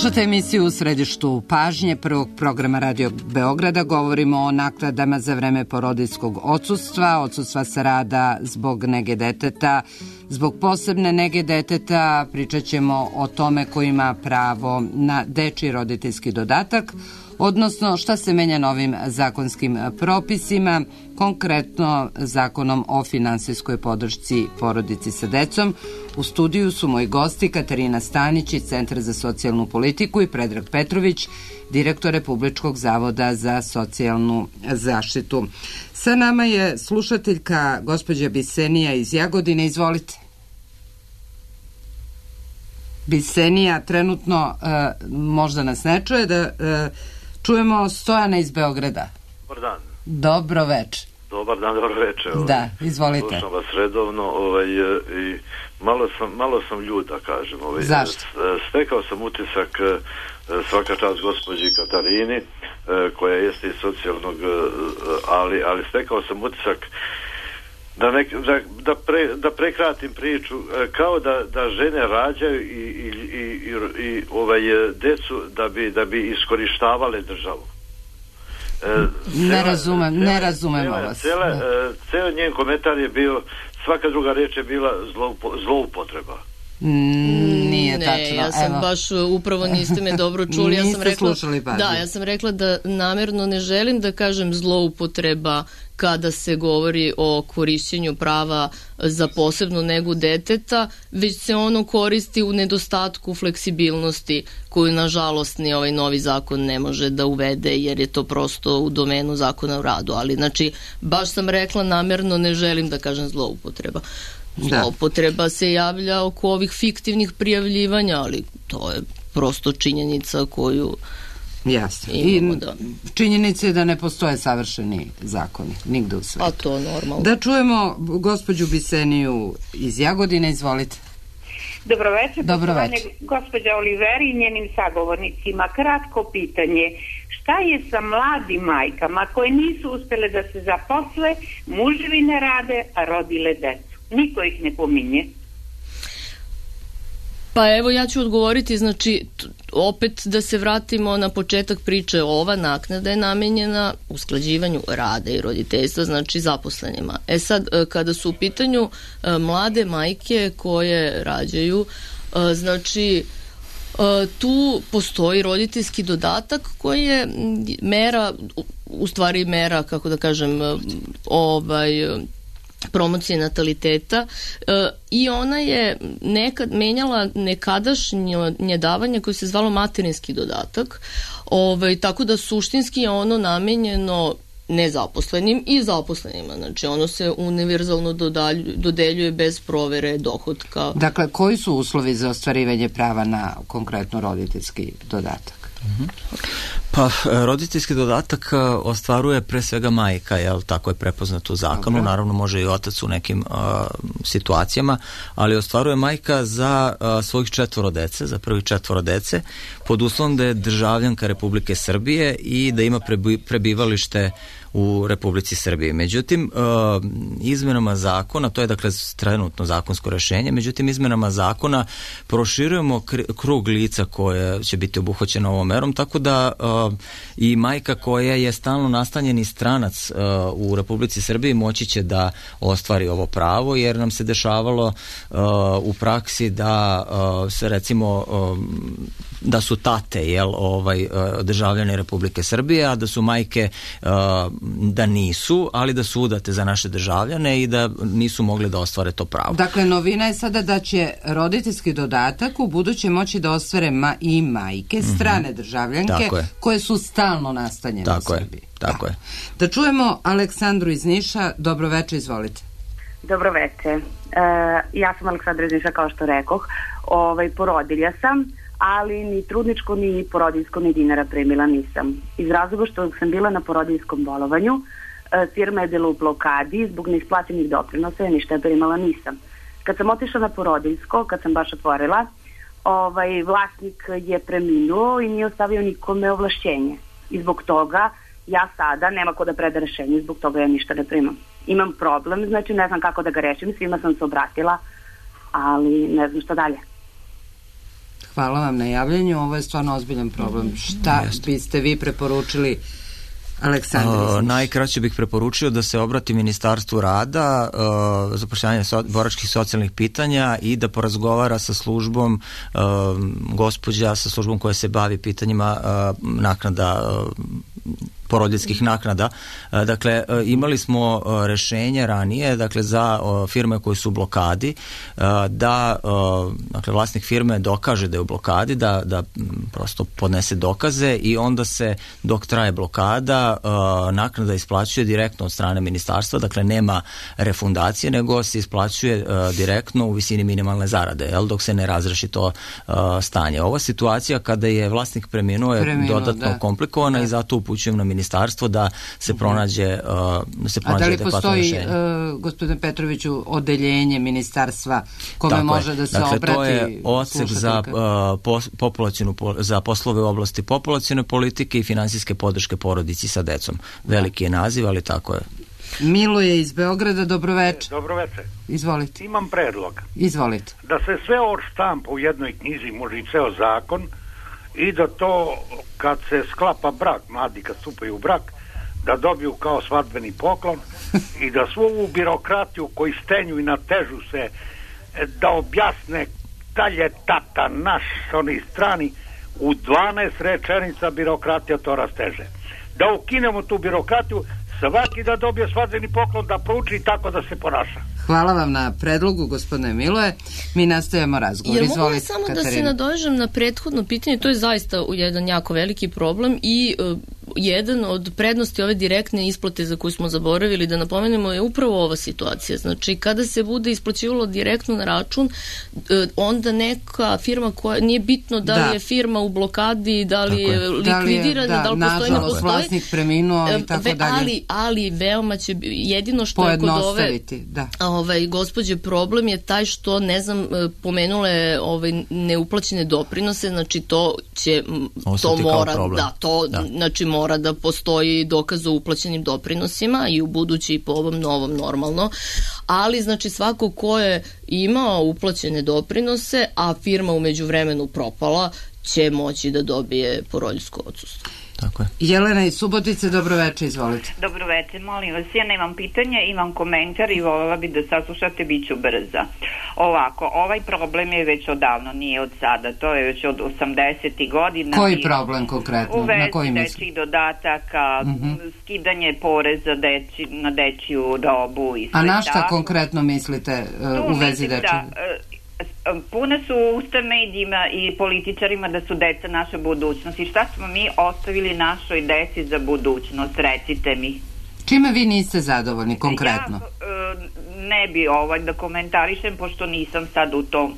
Slušate emisiju U središtu pažnje prvog programa Radio Beograda. Govorimo o naknadama za vreme porodiljskog odsustva, odsustva sa rada zbog nege deteta, zbog posebne nege deteta. Pričat ćemo o tome ko ima pravo na dečiji roditeljski dodatak, odnosno šta se menja novim zakonskim propisima, konkretno zakonom o finansijskoj podršci porodici sa decom. U studiju su moji gosti Katarina Stanić iz Centra za socijalnu politiku i Predrag Petrović, direktor Republičkog zavoda za socijalnu zaštitu. Sa nama je slušateljka gospođa Bisenija iz Jagodine. Izvolite. Bisenija trenutno uh, možda nas ne čuje, da uh, čujemo Stojana iz Beograda. Dobar dan. Dobro veče. Dobar dan, dobro veče. Ovaj. Da, izvolite. Slušam vas redovno ovaj, i malo sam, malo sam ljut, da kažem. Ovaj. Zašto? Stekao sam utisak, svaka čast gospođi Katarini, koja jeste iz socijalnog, ali, ali stekao sam utisak da, ne, da, da, pre, da prekratim priču, kao da, da žene rađaju i, i, i, i, i ovaj, decu da bi, da bi iskorištavale državu. Ne razumem, ne razumemo vas. Cela, ceo njen komentar je bio, svaka druga reč je bila zloupotreba. Mm, nije ne, tačno. Ja sam Evo. baš, upravo niste me dobro čuli. Ja sam rekla, da, ja sam rekla da namerno ne želim da kažem zloupotreba kada se govori o korišćenju prava za posebnu negu deteta, već se ono koristi u nedostatku fleksibilnosti koju nažalost ni ovaj novi zakon ne može da uvede, jer je to prosto u domenu zakona o radu. Ali znači, baš sam rekla namerno ne želim da kažem zloupotreba. Zloupotreba se javlja oko ovih fiktivnih prijavljivanja, ali to je prosto činjenica koju Jasno. imamo. I da... činjenica je da ne postoje savršeni zakoni nigde u svetu. A to normalno. Da čujemo gospođu Biseniju iz Jagodine, izvolite. Dobro večer, Dobro poštovane večer. gospođa Oliveri i njenim sagovornicima. Kratko pitanje. Šta je sa mladim majkama koje nisu uspjele da se zaposle, muževi ne rade, a rodile decu? Niko ih ne pominje. Pa evo ja ću odgovoriti, znači t- opet da se vratimo na početak priče, ova naknada je namenjena usklađivanju rada i roditeljstva, znači zaposlenima. E sad, kada su u pitanju e, mlade majke koje rađaju, e, znači e, tu postoji roditeljski dodatak koji je mera, u stvari mera, kako da kažem, ovaj promocije nataliteta e, i ona je nekad menjala nekadašnje davanje koje se zvalo materinski dodatak, ovaj, tako da suštinski je ono namenjeno nezaposlenim i zaposlenima, znači ono se univerzalno dodalju, dodeljuje bez provere dohotka. Dakle, koji su uslovi za ostvarivanje prava na konkretno roditeljski dodatak? Mm-hmm. Pa roditeljski dodatak ostvaruje pre svega majka, jel, tako je prepoznato u zakonu. Dobre. Naravno može i otac u nekim uh, situacijama, ali ostvaruje majka za uh, svojih četvoro dece, za prvih četvoro dece, pod uslovom da je državljanka Republike Srbije i da ima prebi, prebivalište u Republici Srbiji. Međutim, uh, izmenama zakona, to je dakle trenutno zakonsko rešenje, međutim izmenama zakona proširujemo kr- krug lica koje će biti obuhvaćeno ovom merom, tako da uh, i majka koja je stalno nastanjeni stranac uh, u Republici Srbiji moći će da ostvari ovo pravo, jer nam se dešavalo uh, u praksi da uh, se recimo uh, da su tate, jel, ovaj, državljani Republike Srbije, a da su majke uh, da nisu, ali da su udate za naše državljane i da nisu mogli da ostvare to pravo. Dakle, novina je sada da će roditeljski dodatak u buduće moći da ostvare ma i majke, strane mm-hmm. državljanke, koje su stalno nastanjene tako u Srbiji. Je, tako da. je. Da čujemo Aleksandru iz Niša. Dobro večer, izvolite. Dobro večer. Uh, ja sam Aleksandra iz Niša, kao što rekoh. Ovaj, porodilja sam, ali ni trudničko, ni porodiljsko, ni dinara primila nisam. Iz razloga što sam bila na porodiljskom bolovanju, firma je bila u blokadi, zbog neisplaćenih doprinosa, ja ništa primala nisam. Kad sam otišla na porodiljsko, kad sam baš otvorila, ovaj, vlasnik je preminuo i nije ostavio nikome ovlašćenje. I zbog toga ja sada nema ko da preda rešenje, zbog toga ja ništa ne primam. Imam problem, znači ne znam kako da ga rešim, svima sam se obratila, ali ne znam šta dalje. Hvala vam na javljanju, ovo je stvarno ozbiljan problem. Šta Jeste. biste vi preporučili Aleksandar? Uh, najkraće bih preporučio da se obrati Ministarstvu rada, uh, zapošljavanja so, boračkih socijalnih pitanja i da porazgovara sa službom uh, gospođa, sa službom koja se bavi pitanjima uh, naknada uh, porodiljskih naknada. Dakle, imali smo rešenje ranije, dakle, za firme koje su u blokadi, da dakle, vlasnik firme dokaže da je u blokadi, da, da prosto podnese dokaze i onda se, dok traje blokada, naknada isplaćuje direktno od strane ministarstva, dakle, nema refundacije, nego se isplaćuje direktno u visini minimalne zarade, jel, dok se ne razreši to stanje. Ova situacija kada je vlasnik preminuo je Preminuo, dodatno da. komplikovana da. i zato upućujem na ministarstvo da se pronađe, uh, da se pronađe adekvatno rešenje. A da li postoji, uh, gospodine Petroviću, odeljenje ministarstva kome Tako može je. da se dakle, obrati? To je odsek za, uh, pos, populacionu, za poslove u oblasti populacione politike i finansijske podrške porodici sa decom. Veliki je naziv, ali tako je. Miloje iz Beograda, dobroveče. Dobroveče. Izvolite. Imam predlog. Izvolite. Da se sve odštampa u jednoj knjizi, može i ceo zakon, i da to kad se sklapa brak, mladi kad stupaju u brak, da dobiju kao svadbeni poklon i da svu ovu birokratiju koji stenju i natežu se, da objasne da je tata naš oni strani, u dvanaest rečenica birokratija to rasteže. Da ukinemo tu birokratiju, svaki da dobije svadbeni poklon, da prouči i tako da se ponaša. Hvala vam na predlogu, gospodine Miloje. Mi nastavljamo razgovor. Jer Izvolite, mogu samo Katarina. da se nadovežem na prethodno pitanje, to je zaista jedan jako veliki problem i uh, jedan od prednosti ove direktne isplate za koju smo zaboravili da napomenemo je upravo ova situacija. Znači, kada se bude isplaćivalo direktno na račun, uh, onda neka firma koja, nije bitno da, da. li je firma u blokadi, da li je likvidirana, da, da, da li postoji, ne postoji. Vlasnik preminuo i tako Ve, dalje. Ali, ali veoma će, jedino što je kod ove da. ovaj, gospođe problem je taj što, ne znam, pomenule ovaj, neuplaćene doprinose, znači to će, to mora, da, to, da. znači mora da postoji dokaz o uplaćenim doprinosima i u budući i po ovom novom normalno, ali znači svako ko je imao uplaćene doprinose, a firma u međuvremenu propala, će moći da dobije porodiljsko odsustvo. Tako je. Jelena iz Subotice, dobroveče, izvolite. Dobroveče, molim vas, ja nemam pitanja, imam komentar i voljela bi da saslušate, bit ću brza. Ovako, ovaj problem je već odavno, nije od sada, to je već od osamdesetih godina. Koji problem konkretno? U vezi dečjih dodataka, mm-hmm. skidanje poreza deči, na dečju robu i sve. A na šta tako konkretno mislite uh, u vezi dečjih? Da, uh, pune su usta medijima i političarima da su deca naša budućnost. I šta smo mi ostavili našoj deci za budućnost, recite mi. Čime vi niste zadovoljni konkretno? Ja ne bi ovaj da komentarišem, pošto nisam sad u tom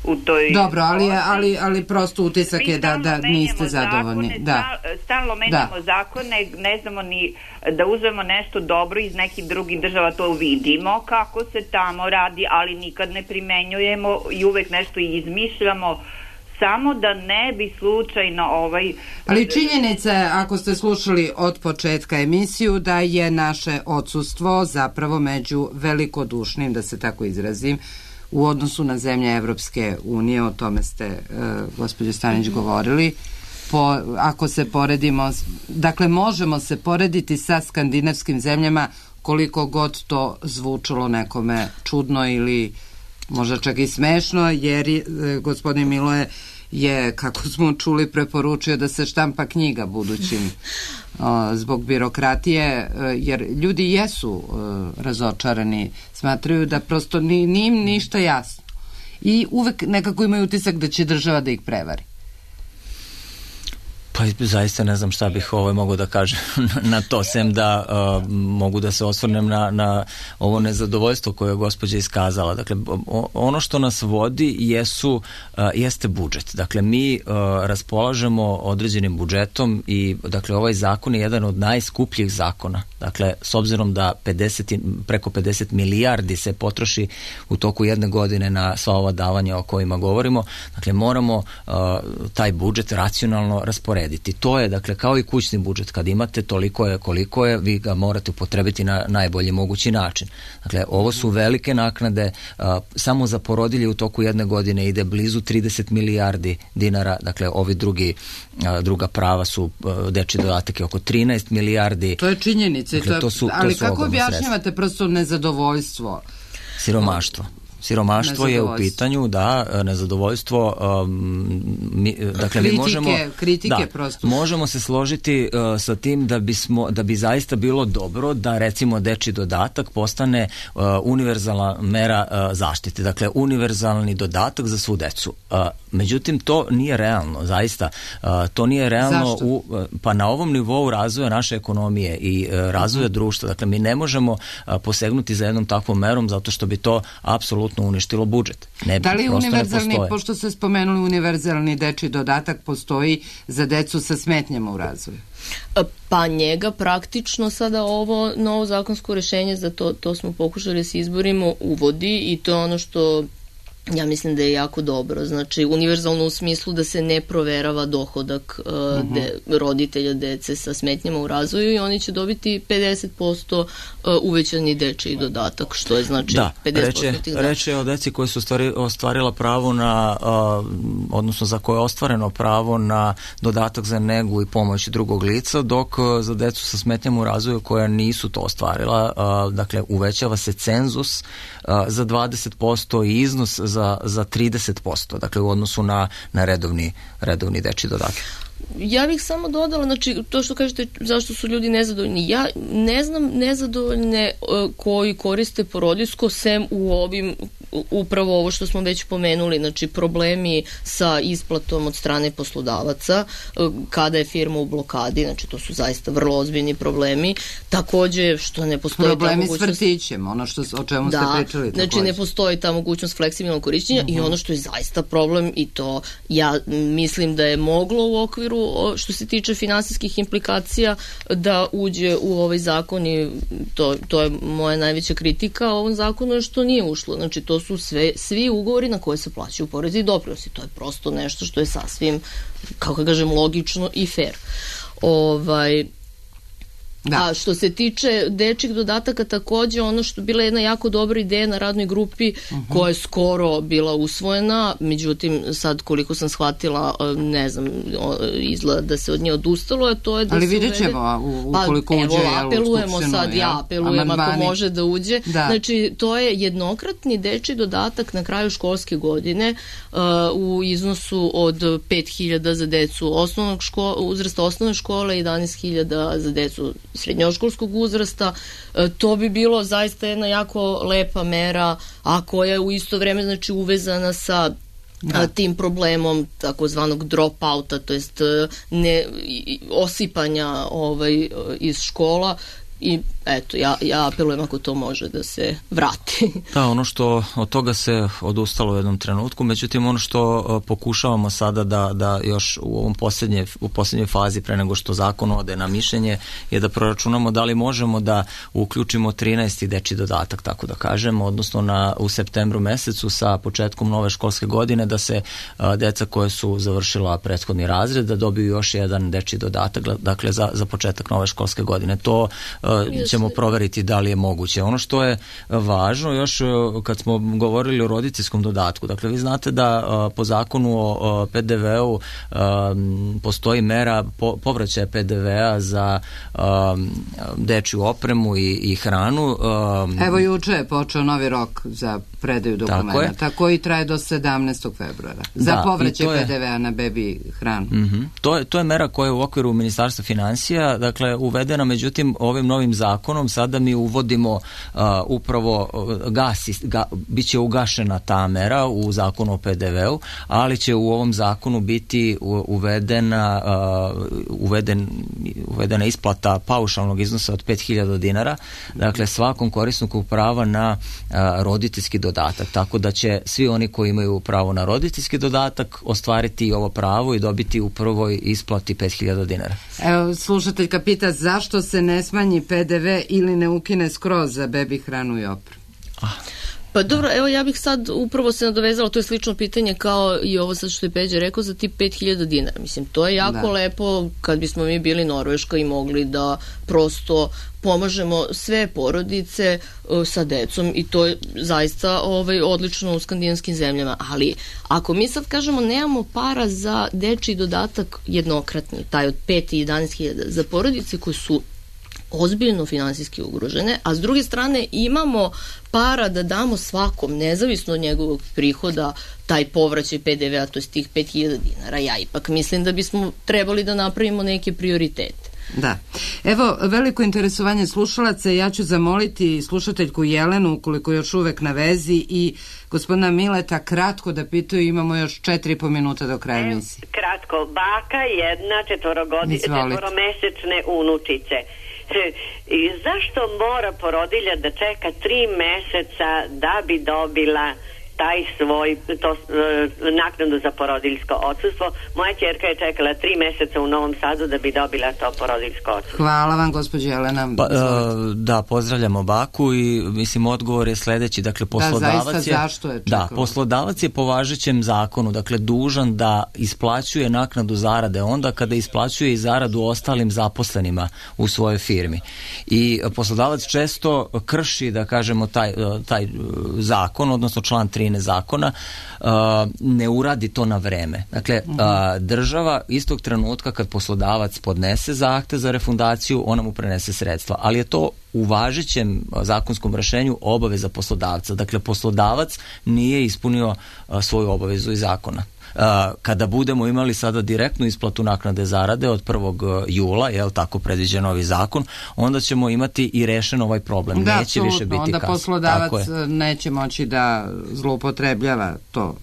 u toj... Dobro, ali, ali, ali prosto utisak je da, da niste zadovoljni. Zakone, da. Stalno menjamo da. zakone, ne znamo ni da uzmemo nešto dobro iz nekih drugih država, to vidimo kako se tamo radi, ali nikad ne primenjujemo i uvek nešto izmišljamo, samo da ne bi slučajno ovaj... Ali činjenica je, ako ste slušali od početka emisiju, da je naše odsustvo zapravo među velikodušnim, da se tako izrazim, u odnosu na zemlje Evropske unije, o tome ste, uh, gospođo Stanić, govorili. Po, ako se poredimo, dakle, možemo se porediti sa skandinavskim zemljama, koliko god to zvučalo nekome čudno ili možda čak i smešno, jer je, gospodin Miloje je, kako smo čuli, preporučio da se štampa knjiga budućim o, zbog birokratije, jer ljudi jesu o, razočarani, smatraju da prosto ni, ni im ništa jasno i uvek nekako imaju utisak da će država da ih prevari. Pa zaista ne znam šta bih ovaj mogu da kažem na to, sem da uh, mogu da se osvrnem na, na ovo nezadovoljstvo koje je gospođa iskazala. Dakle, ono što nas vodi jesu, uh, jeste budžet. Dakle, mi uh, raspolažemo određenim budžetom i dakle, ovaj zakon je jedan od najskupljih zakona. Dakle, s obzirom da pedeset, preko pedeset milijardi se potroši u toku jedne godine na sva ova davanja o kojima govorimo, dakle, moramo uh, taj budžet racionalno rasporediti. rasporediti. To je, dakle, kao i kućni budžet. Kad imate toliko je koliko je, vi ga morate upotrebiti na najbolji mogući način. Dakle, ovo su velike naknade. A, samo za porodilje u toku jedne godine ide blizu trideset milijardi dinara. Dakle, ovi drugi, a, druga prava su a, dečji dodatak je oko trinaest milijardi. To je činjenica. Dakle, to, to su, ali to su kako objašnjavate sredstva. Prosto nezadovoljstvo? Siromaštvo. Siromaštvo je u pitanju, da, nezadovoljstvo, um, mi, dakle kritike, mi možemo, kritike da, prosto. možemo se složiti uh, sa tim da bismo, da bi zaista bilo dobro da recimo dečji dodatak postane uh, univerzalna mera uh, zaštite, dakle univerzalni dodatak za svu decu. Uh, međutim, to nije realno, zaista. Uh, to nije realno u, uh, pa na ovom nivou razvoja naše ekonomije i uh, razvoja uh-huh. društva. Dakle, mi ne možemo uh, posegnuti za jednom takvom merom zato što bi to apsolutno uništilo budžet. Ne, da li univerzalni, ne pošto ste spomenuli univerzalni dečji dodatak, postoji za decu sa smetnjama u razvoju? Pa njega praktično sada ovo novo zakonsko rešenje, za to, to smo pokušali da se izborimo, uvodi i to je ono što ja mislim da je jako dobro. Znači, univerzalno u smislu da se ne proverava dohodak uh, uh-huh. de, roditelja dece sa smetnjama u razvoju i oni će dobiti pedeset posto uh, uvećani dečiji dodatak, što je znači da, pedeset posto reče, tih reče o deci koji su ostvari, ostvarila pravo na, uh, odnosno za koje je ostvareno pravo na dodatak za negu i pomoć drugog lica, dok uh, za decu sa smetnjama u razvoju koja nisu to ostvarila, uh, dakle, uvećava se cenzus uh, za dvadeset posto i iznos za Za, za trideset posto, dakle u odnosu na, na redovni, redovni dečji dodatak. Ja bih samo dodala, znači, to što kažete zašto su ljudi nezadovoljni. Ja ne znam nezadovoljne uh, koji koriste porodiljsko sem u ovim, upravo ovo što smo već pomenuli, znači problemi sa isplatom od strane poslodavaca, uh, kada je firma u blokadi, znači to su zaista vrlo ozbiljni problemi. Takođe, što ne postoji problemi ta mogućnost... s vrtićem, ono što, o čemu da, ste pričali. Znači takođe. Ne postoji ta mogućnost fleksibilnog korišćenja uh-huh. i ono što je zaista problem, i to ja mislim da je moglo u okviru što se tiče finansijskih implikacija da uđe u ovaj zakon, i to, to je moja najveća kritika ovom zakonu, je što nije ušlo. Znači to su sve, svi ugovori na koje se plaćaju porezi i doprinosi. To je prosto nešto što je sasvim, kako kažem, logično i fair. Ovaj... Da. A što se tiče dečjih dodataka, takođe ono što bila jedna jako dobra ideja na radnoj grupi uh-huh. koja je skoro bila usvojena, međutim sad koliko sam shvatila, ne znam, izgleda da se od nje odustalo, a to je da ali se vidjet ćemo ukoliko pa, uđe evo, apelujemo sad, ja, ja apelujem amandmani. Ako može da uđe. Da. Znači to je jednokratni dečji dodatak na kraju školske godine uh, u iznosu od pet hiljada za decu osnovnog škola, uzrasta osnovne škole i jedanaest hiljada za decu srednjoškolskog uzrasta. E, to bi bilo zaista jedna jako lepa mera, a koja je u isto vreme znači uvezana sa a, tim problemom takozvanog drop-outa, to jest ne, osipanja ovaj, iz škola. I eto, ja, ja apelujem ako to može da se vrati. Da, ono što od toga se odustalo u jednom trenutku, međutim ono što uh, pokušavamo sada da, da još u ovom posljednje, u posljednjoj fazi pre nego što zakon ode na mišljenje je da proračunamo da li možemo da uključimo trinaesti dečji dodatak, tako da kažemo, odnosno na, u septembru mesecu sa početkom nove školske godine da se uh, deca koje su završila prethodni razred da dobiju još jedan dečji dodatak, dakle za, za početak nove školske godine. To uh, ćemo proveriti da li je moguće. Ono što je važno još kad smo govorili o roditeljskom dodatku, dakle vi znate da uh, po zakonu o uh, pe de veu um, postoji mera po, povraćaja pe de vea za um, dečju opremu i, i hranu. Um, Evo juče je počeo novi rok za predaju dokumenta koji traje do sedamnaestog februara za da, povraćaj pe de vea na bebi hranu. Uh-huh. To je, to je mera koja je u okviru Ministarstva finansija, dakle uvedena, međutim ovim novim zakonom sada mi uvodimo uh, upravo uh, gasi, ga, bit će ugašena ta mera u zakonu o pe de veu, ali će u ovom zakonu biti u, uvedena uh, uveden, uvedena isplata paušalnog iznosa od pet hiljada dinara, dakle svakom korisniku prava na uh, roditeljski dodatak, tako da će svi oni koji imaju pravo na roditeljski dodatak ostvariti ovo pravo i dobiti u prvoj isplati pet hiljada dinara. Evo, slušateljka pita zašto se ne smanji pe de ve ili ne ukine skroz za bebi hranu i opremu? Ah. Pa dobro, evo ja bih sad upravo se nadovezala, to je slično pitanje kao i ovo sad što je Peđa rekao za tih pet hiljada dinara. Mislim, to je jako da. lepo kad bismo mi bili Norveška i mogli da prosto pomažemo sve porodice uh, sa decom i to je zaista ovaj, odlično u skandinavskim zemljama. Ali ako mi sad kažemo nemamo para za dečiji dodatak jednokratni, taj od pet i jedanaest hiljada za porodice koje su ozbiljno finansijski ugrožene, a s druge strane imamo para da damo svakom, nezavisno od njegovog prihoda, taj povraćaj P D V-a, to je tih pet hiljada dinara. Ja ipak mislim da bismo trebali da napravimo neke prioritete. Da. Evo, veliko interesovanje slušalaca, ja ću zamoliti slušateljku Jelenu, ukoliko još uvek na vezi, i gospodina Mileta kratko da pitaju, imamo još četiri i po minuta do kraja emisije. Kratko, baka jedna četvorogodi, četvoromesečne unučice. I zašto mora porodilja da čeka tri meseca da bi dobila taj svoj to, naknadu za porodiljsko odsustvo? Moja ćerka je čekala tri meseca u Novom Sadu da bi dobila to porodiljsko odsustvo. Hvala vam, gospođo Jelena. Pa, uh, da, pozdravljamo baku i mislim odgovor je sledeći. Dakle, poslodavac da, zaista, je, zašto je čekala? Da, poslodavac je po važećem zakonu, dakle, dužan da isplaćuje naknadu zarade onda kada isplaćuje i zaradu ostalim zaposlenima u svojoj firmi. I poslodavac često krši, da kažemo, taj, taj zakon, odnosno član tri zakona, ne uradi to na vreme. Dakle, država istog trenutka kad poslodavac podnese zahtev za refundaciju, ona mu prenese sredstva. Ali je to u važećem zakonskom rešenju obaveza poslodavca. Dakle, poslodavac nije ispunio svoju obavezu iz zakona. Kada budemo imali sada direktnu isplatu naknade zarade od prvog jula, je li tako predviđen novi zakon, onda ćemo imati i rešen ovaj problem. Da, neće više biti onda kasno. Poslodavac neće moći da zloupotrebljava to,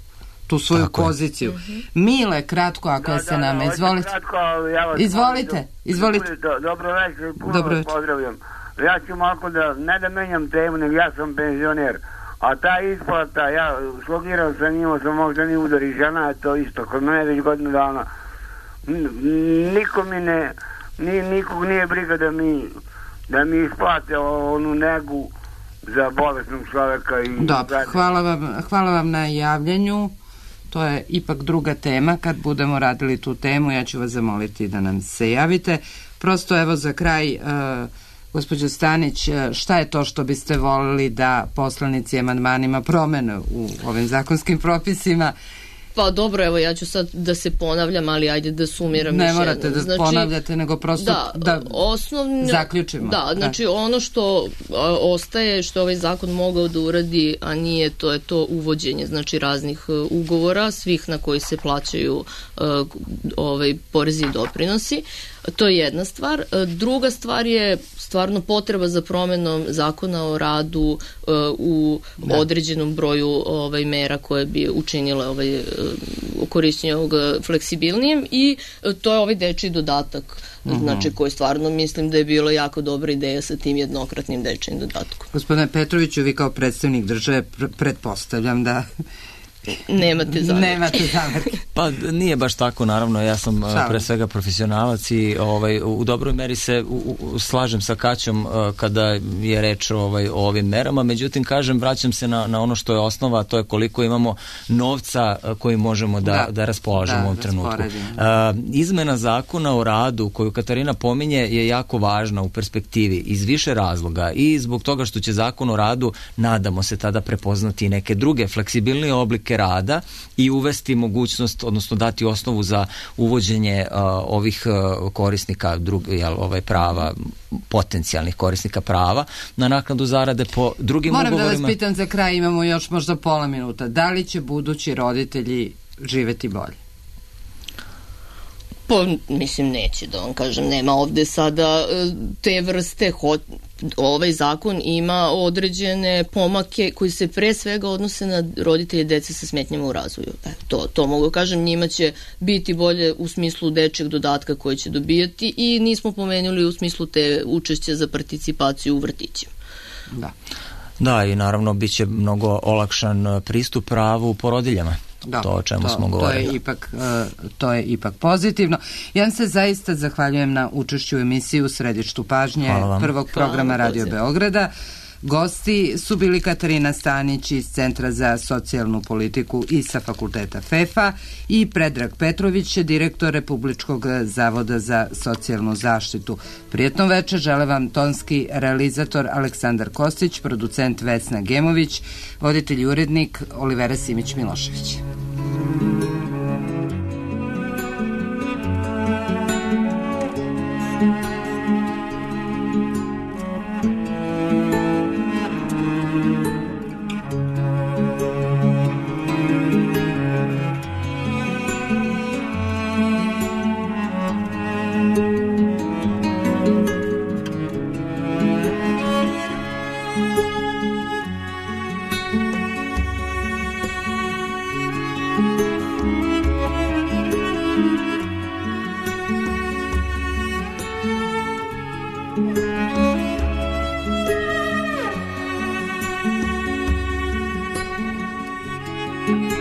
tu svoju tako poziciju. Je. Mile, kratko, ako da, je se da, nama, izvolite. Kratko, ja vas izvolite, do, izvolite. Do, dobro večer, puno dobro vas pozdravljam. Ja ću malo da, ne da menjam temu, nego ja sam penzioner. A ta isplata, ja slogirao sam, imao sam moždani udar i žena je to isto, kod mene već godinu dana. Niko mi ne, ni, nikog nije briga da mi, da mi isplate onu negu za bolesnog čoveka. I dobro, hvala vam, hvala vam na javljanju. To je ipak druga tema. Kad budemo radili tu temu, ja ću vas zamoliti da nam se javite. Prosto evo za kraj... Uh, Gospođo Stanić, šta je to što biste volili da poslanici amandmanima promene u ovim zakonskim propisima? Pa dobro, evo ja ću sad da se ponavljam, ali ajde da sumiram. Ne morate da znači, ponavljate, nego prosto da, da osnovno, zaključimo. Da, znači da. Ono što a, ostaje, što ovaj zakon mogao da uradi, a nije, to je to uvođenje znači raznih uh, ugovora, svih na koji se plaćaju uh, ovaj, porezi i doprinosi. To je jedna stvar. Druga stvar je stvarno potreba za promenom zakona o radu uh, u da. određenom broju ovaj, mera koje bi učinile ovaj, korišćenje ovog fleksibilnijim i to je ovaj dečiji dodatak. Mm-hmm. Znači koji stvarno mislim da je bilo jako dobra ideja sa tim jednokratnim dečijim dodatkom. Gospodine Petroviću, vi kao predstavnik države pr- pretpostavljam da Nemate zamerke. Nemate zamerke. Pa nije baš tako, naravno, ja sam Šalim. pre svega profesionalac i ovaj, u dobroj meri se u, u, slažem sa Kaćom kada je reč ovaj, o ovim merama, međutim, kažem, vraćam se na, na ono što je osnova, to je koliko imamo novca koji možemo da, da. da raspolažemo da, u ovom trenutku. Uh, izmena zakona o radu koju Katarina pominje je jako važna u perspektivi iz više razloga i zbog toga što će zakon o radu, nadamo se, tada prepoznati neke druge fleksibilnije oblike rada i uvesti mogućnost, odnosno dati osnovu za uvođenje uh, ovih uh, korisnika drug, jel, ovaj prava, potencijalnih korisnika prava na naknadu zarade po drugim Moram ugovorima. Moram da vas pitam za kraj, imamo još možda pola minuta. Da li će budući roditelji živeti bolje? Pa, mislim, neće da vam kažem, nema ovde sada te vrste, ho, ovaj zakon ima određene pomake koji se pre svega odnose na roditelje dece sa smetnjama u razvoju. E, to, to mogu kažem, njima će biti bolje u smislu dečjeg dodatka koji će dobijati i nismo pomenuli u smislu te učešće za participaciju u vrtićima. Da. Da, i naravno bit će mnogo olakšan pristup pravu porodiljama. Da, to o čemu to, smo govorili. To je, ipak, uh, to je ipak pozitivno. Ja vam se zaista zahvaljujem na učešću u emisiji U središtu pažnje prvog programa Radio Beograda. Gosti su bili Katarina Stanić iz Centra za socijalnu politiku i sa fakulteta FEFA i Predrag Petrović, direktor Republičkog zavoda za socijalnu zaštitu. Prijetno večer žele vam tonski realizator Aleksandar Kostić, producent Vesna Gemović, voditelj i urednik Olivera Simić-Milošević. Thank you.